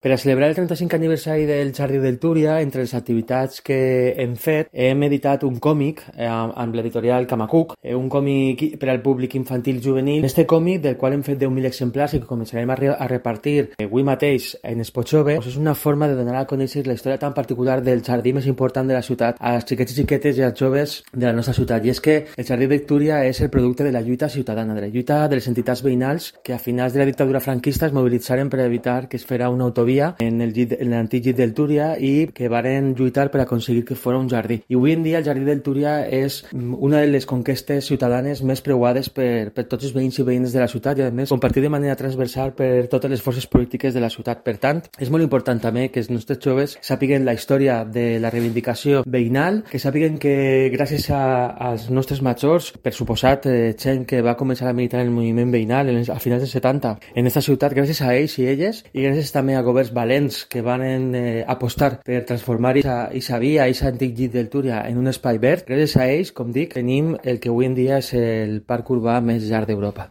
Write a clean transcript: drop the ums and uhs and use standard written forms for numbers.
Per a celebrar el 35 aniversari del Jardí del Túria, entre les activitats que hem fet, hem editat un còmic amb l'editorial Camacuc, un còmic per al públic infantil juvenil. Este còmic, del qual hem fet 10.000 exemplars i que començarem a repartir avui mateix en Expo Jove, és una forma de donar a conèixer la història tan particular del jardí més important de la ciutat als xiquets i xiquetes i als joves de la nostra ciutat. I és que el Jardí del Túria és el producte de la lluita ciutadana, de la lluita de les entitats veïnals que a finals de la dictadura franquista es mobilitzaren per evitar que es fera una autovia en l'antic llit del Túria i que varen lluitar per aconseguir que fos un jardí. I avui en dia el Jardí del Túria és una de les conquestes ciutadanes més preuades per tots els veïns i veïnes de la ciutat i a més compartir de manera transversal per totes les forces polítiques de la ciutat. Per tant, és molt important també que els nostres joves sàpiguen la història de la reivindicació veïnal, que sàpiguen que gràcies als nostres majors, per suposat gent que va començar a militar en el moviment veïnal a finals dels 70 en aquesta ciutat, gràcies a ells i elles i gràcies també a governs valents que van apostar per transformar aquesta via, aquest antic llit del Túria en un espai verd. Gràcies a ells, com dic, tenim el que avui en dia és el parc urbà més llarg d'Europa.